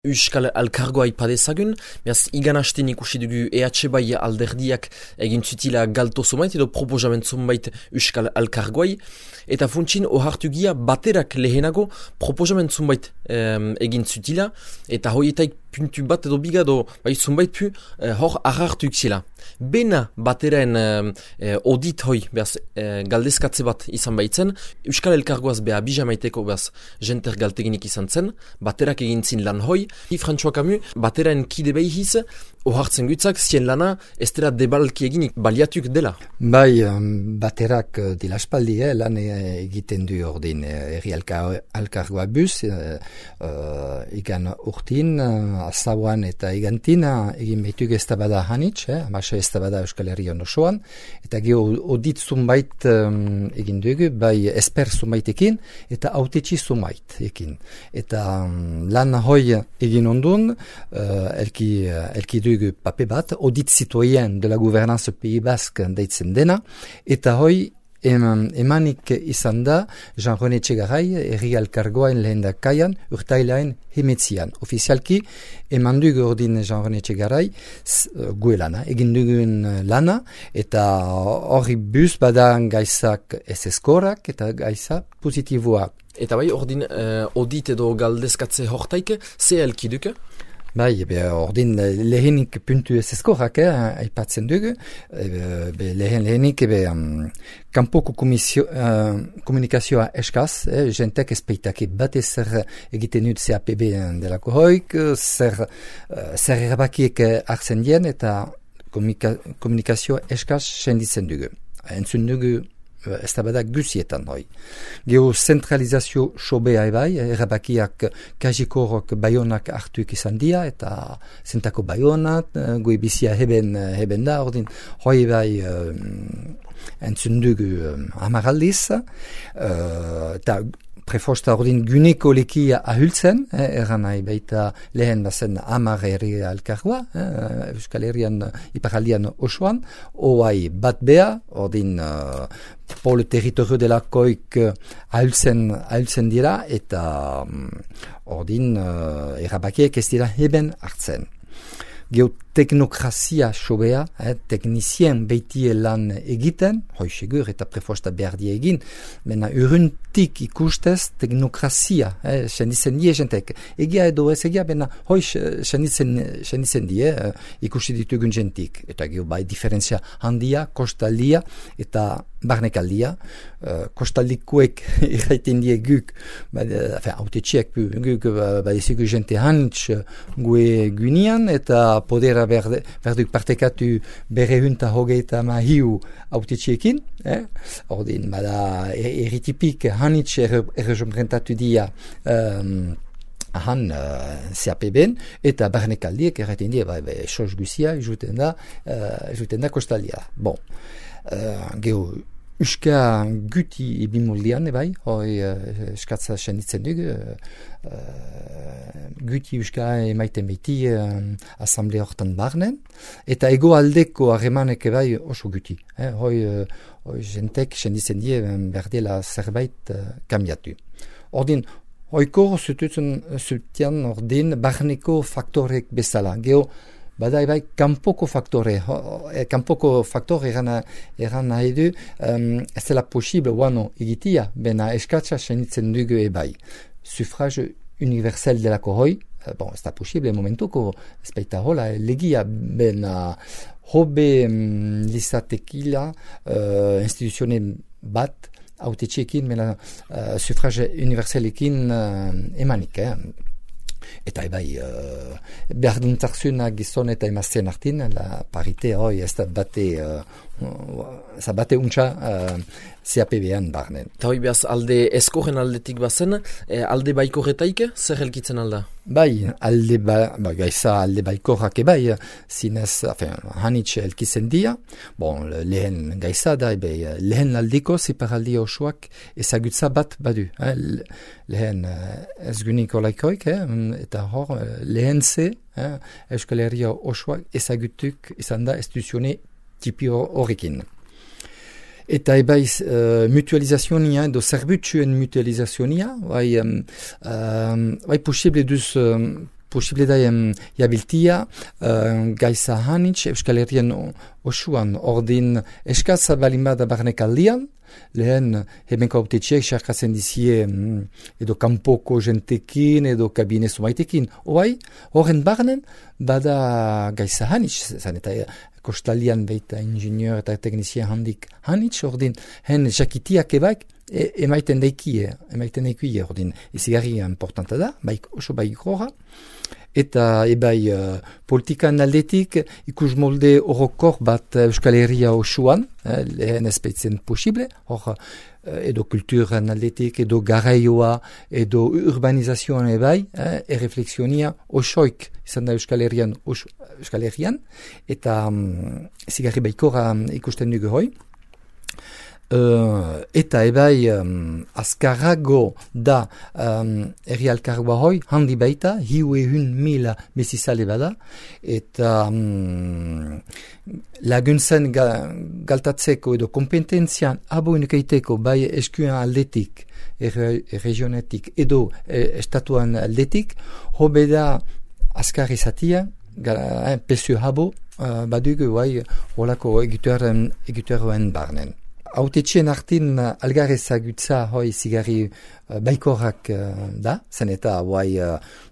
Euskal Alkargoa ipadezagun, beraz, igan hasten ikusi dugu EH bai alderdiak egin zutila galto zumait edo proposament zumait Euskal Alkargoai, eta funtsin ohartu gia baterak lehenago proposament zumait egin zutila, eta hoietaik puntu bat edo bigado bai zumait pu hor ahartu iksila. Bena bateraen audit hoi, beraz, galdezkatze bat izan baitzen, Euskal Elkargoaz beha bijamaiteko beraz jenter galteginik izan zen, baterak egin zin lan hoi, François Camus, bateraen kide behiz, ohartzen gutzak, zien lana, ez dela debalki eginik baliatuk dela. Bai, baterak dela espaldi, lan egiten du ordin erri alkargoa bus, igan urtin, azabuan eta igantin, egin behituk ez tabada hanitz, amasa ez tabada Euskal Herrian osoan, eta geho odit zumbait egin dugu, bai esper zumbaitekin, eta autetxi zumbait Eta lan hoi egin ondun, elki dugu pape bat, audit citoyen de la gouvernance Pays Basque deitzen dena, eta hoi emanik izan da Jean-René Txegarai erri alkargoain lehendakaian urtailaen hemetzian. Ofizialki eman dugu ordin Jean-René Txegarai gue lana, egin dugun lana, eta hori bus badan gaizak ez eskorak eta gaizak positiboak. Eta bai, ordin audit edo galdezkatze hortaik, ze elkiduke? Bai, ordin lehenik puntu ez eskorak, aipatzen dugu, lehenik kanpoko komunikazioa eskaz, jentek ezpeitake bat ezer egiten dut CAPB delako hoik, zer erabakiek hartzen dien eta komunikazioa eskaz senditzen dugu. Entzun dugu ez da bada guzietan hoi. Gero zentralizazio sobea ebai, erabakiak kajikorok baionak hartuik izan dia, eta zentako baionat, goi bizia heben da, ordin hoi bai entzun dugu amaraldiz, eta prefosta ordin guneko lekia ahultzen, eran nahi baita lehen bazen amar herri alkargoa, Euskal Herrian iparaldian osoan, oai bat bea, ordin pol territorio delakoik ahultzen dira, eta ordin erabakiek ez dira heben hartzen. Geoteknokrazia sobea, teknizien beitie lan egiten, hoi segur eta prefosta behar die egin, mena uruntik ikustez teknokrazia, senditzen die jentek. Egia edo ez egia, mena hoi senditzen die ikusi ditugun jentik. Eta geho bai diferentzia handia, kostaldia eta barnekaldia. Kostaldikuek irraiten die guk, autetxiek guk badiziku jente hanitz gue guinian, eta podera berduk partekatu berrehunta hogeita mahiu autetxiekin. Ordin, bada erritipik hanitz errepresentatu dia ahan CAPB-en, eta barnekaldiek erraiten die, sos guzia, juten da kostaldia. Bon, geho, Euska guti ibimuldian, ebai, hoi eskatza senditzen dugu, guti Euska emaiten beti asamblea hortan barnen, eta ego aldeko harremanek ebai oso guti. Hoi jentek senditzen die berdela zerbait kambiatu. Ordin, hoiko zutian ordin barneko faktorek bezala. Geho, bada ebai, kanpoko faktore eran nahi du, ez dela posible guano egitia, bena eskatza senitzen dugu ebai. Sufrage universel delako hoi, ez da posible momentuko, ez baita hola, legia, bena hobe lizatekila instituzione bat, autetxeekin, bena sufrage universelekin emanik, Eta ebai, behar duntarzuna gizon eta emazten artin, la parite hoi ez da bate untxa CAPB-an barnen. Eta hoi behaz alde eskoren aldetik bazen, alde baikorretaik, zer helkitzen alda? Bai, gaiza alde baikorrak ebai, zinez, hanitz helkitzen dia, lehen gaiza da, lehen aldiko ziparaldi osoak ezagutza bat badu. Lehen ez guniko laikoik, eta hor, lehen ze, Euskal Herria osoak ezagutuk izan da instituzione tipi horrekin. Eta ebai mutualizazionia edo zerbutsuen mutualizazionia, bai posible duz posible da jabiltia gaiza hanitz Euskal Herrian osuan ordin eskaz balin bada barnekaldian, lehen hemenko autetxeek xarkatzen dizie edo kanpoko jentekin edo kabine zumaitekin. Oai, horren barnen bada gaiza hanitz, zan eta kostalian baita ingenieur eta teknizien handik hanitz, ordin hen jakitiak ebaik emaiten daikie ordin izigarri importanta da, oso bai gora. Eta ebai politikan aldetik ikus molde horokor bat Euskal Herria osuan, lehen espeitzen posible, hor edo kulturan aldetik, edo garaioa, edo urbanizazioan ebai, erreflexionia osoik izan da Euskal Herrian, eta zigarri baikora ikusten dugu hoi. Eta ebai azkarrago da herri alkargoa hoi, handi baita, 100,000 mesizale bada, eta laguntzen galtatzeko edo kompetentzian aboinukeiteko bai eskuen aldetik, regionetik edo estatuan aldetik, hobe da azkar izatia, pesu habo badugu bai holako egituaren barnen. Autetxien artin algar ezagutza hoi zigarri baikorrak da, zen eta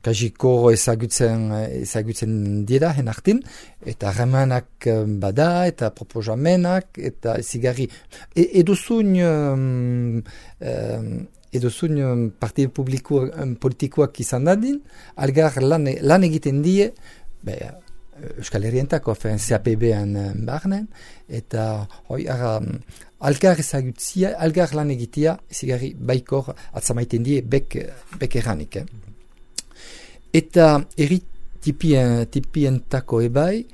kajiko ezagutzen dira hen artin, eta remanak bada, eta proposamenak, eta zigarri edozun partide politikoak izan dadin, algar lan egiten die, Euskal Herrientako, CAPB-an barnen, eta hoi algar ezagutzia, algar lan egitea, zigarri baikor atzamaiten die bek erranik. Eta tipientako ebai,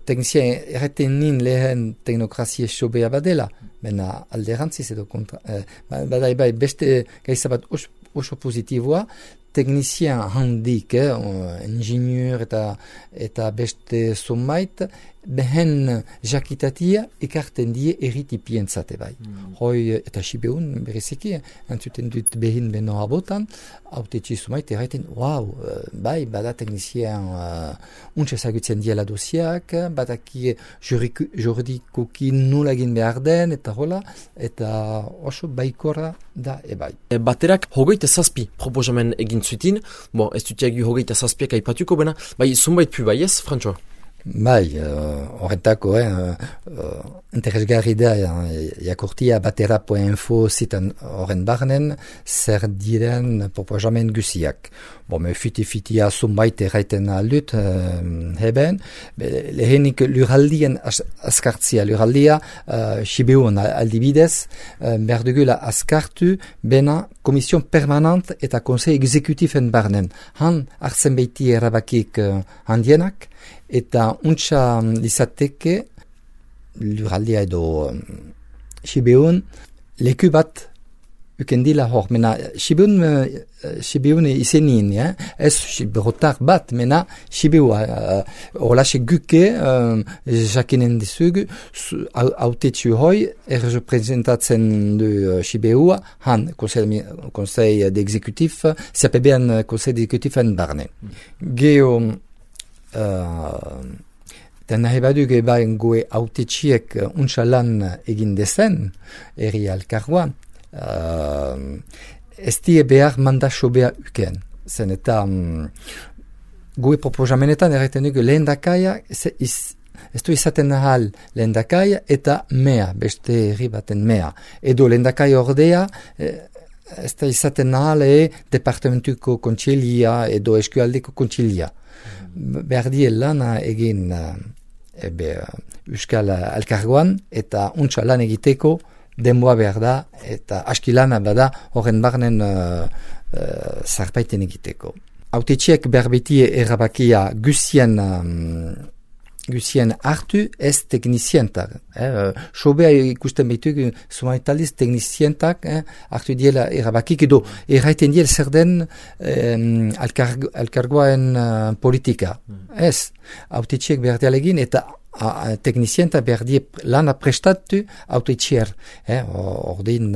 teknizien erreten nin lehen teknokrazie sobea badela, bena alderantziz edo kontra, bada ebai beste gaizabat oso positiboa, teknizien handik, ingenieur eta beste zomait, behen jakitatia ekarten die erritipientzate bai. Hoi eta sibeun bereziki, entzuten dut behin beno abotan, autetxi zomait erraiten, bai, bada teknizien untsa ezagutzen diela dosiak, badaki juridikoki nola egin behar den, eta hola, eta oso baikora da ebai. Baterak hogeita zazpi proposamen egin zutin, ez dutiagu hogeita zazpiak aipatuko bena, bai, zumbait pu bai ez, Frantxoa? Bai, horretako, interesgarri da, jakurtia batera.info zitan horren barnen, zer diren proposamen guziak. Fiti-fitia zumbait erraiten aldut, heben, lehenik luraldien askartzia, luraldia, sibeun aldibidez, berdugula askartu, bena komision permanent eta konsei exekutifen barnen. Han hartzen beiti erabakik handienak, eta untsa izateke luraldia edo sibeun leku bat ukendila hor, mena sibeun izenin, ez siberotar bat, mena sibeua horlaxe guke jakinen dizugu autetxu hoi representatzen du sibeua han konsei d'exekutif CAPB-an konsei d'exekutifan barne. Geo eta nahi baduk ebaen goe autetxiek untsa lan egin dezen herri alkargoa, ez die behar mandaso behar uken. Zen eta goe proposamenetan erraiten dugu lehendakaia ez du izaten ahal lehendakaia eta mea, beste herri baten mea. Edo lehendakaia ordea ez da izaten ahal departamentuko kontsilia edo eskualdeko kontsilia. Behar die lana egin Euskal Alkargoan eta untsa lan egiteko denboa behar da eta aski lana bada horren barnen zarpaiten egiteko. Autetxiek behar beti errabakia guzien hartu ez teknizientak. Sobea ikusten behitugu zumaitaliz teknizientak hartu diela errabakik edo erraiten diel zer den alkargoaen politika. Ez, autetxiek behar dialegin eta teknizienta behar die lana prestatu autetxier. Ordin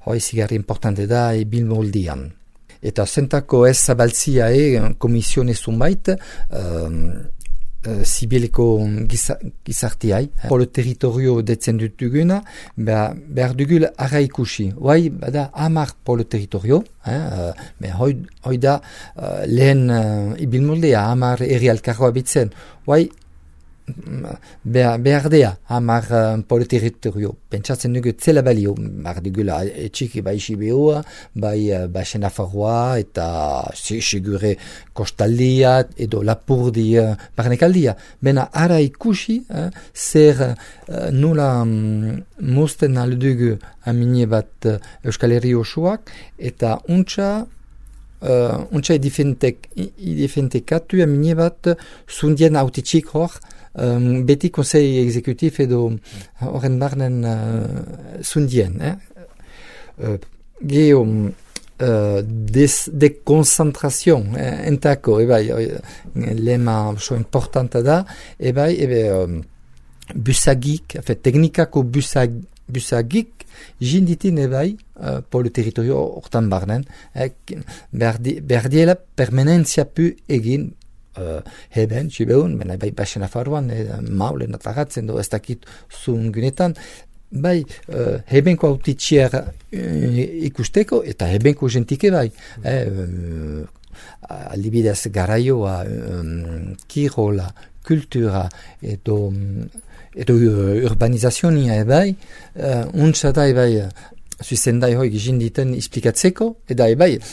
hoi zigarri importante da bilmoldian. eta zentako ez zabaltzia komisione zunbait, zibileko gizartiai. Polo territorio detzen dutuguna, behar dugul ara ikusi. Hoai, bada, 10 polo territorio, hoi da lehen ibilmoldea, 10 herri alkargoa bitzen. Hoai, behar dea, 10 polo territorio. Pentsatzen dugu zela balio, behar dugula etxiki bai Sibeoa, bai Senafarroa, eta segure kostaldia, edo Lapurdi barnekaldia. Bena ara ikusi, zer nula mozten aldugu amine bat Euskal Herri osoak, eta untsa edifentekatu amine bat zundien autitxik hor, beti konsei exekutif edo horren barnen zundien. Geo dekonzentrazion entako, lema oso importanta da, busagik, teknikako busagik jinditin polo territorio hortan barnen, behar diela permanentzia pu egin heben, Sibeun, bai Senafarroan, maulen atagatzen, ez dakit zungunetan, bai hebenko autitxier ikusteko, eta hebenko gentike bai. Aldibidez garaioa, kirola, kultura, edo urbanizazionia bai, untsa da zuzendai hoi gizinditen esplikatzeko, eta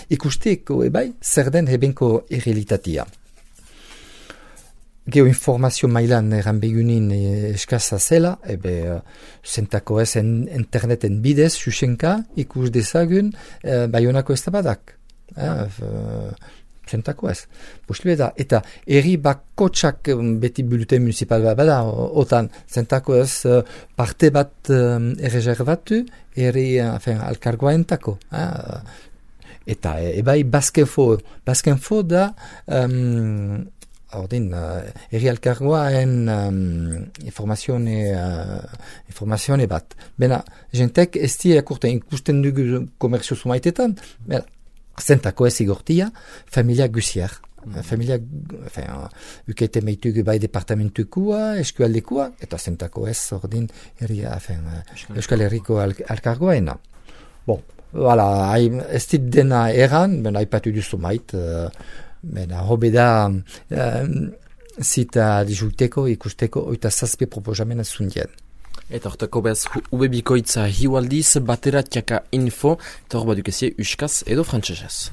ikusteko zer den hebenko errealitatea. Geoinformazio mailan eran begunin eskaza zela, zentako ez interneten bidez, xuxenka, ikus dezagun, Baionako ez da badak. Zentako ez. Posible da. Eta erri bakotsak beti buluten municipal bada, otan zentako ez parte bat erreservatu, erri alkargoa entako. Eta Baskenfo da ordin, erri alkargoaen informazione bat. Bena, jentek ez akurten ikusten dugu komerzio zumaitetan, zentako ez igortia, familia guziar. Familia, ukete meitugu bai departamentukua, eskualdekua, eta zentako ez ordin Euskal Herriko alkargoaena. Bon, voilà, ez dit dena eran, bena aipatu duzu mait, hobe da zita dijulteko, ikusteko, oita zazpi proposamena zundien. Eta hortako behaz ubebikoitza hiualdiz, bateratiaka info, eta hor badukezie uskaz edo frantsesez.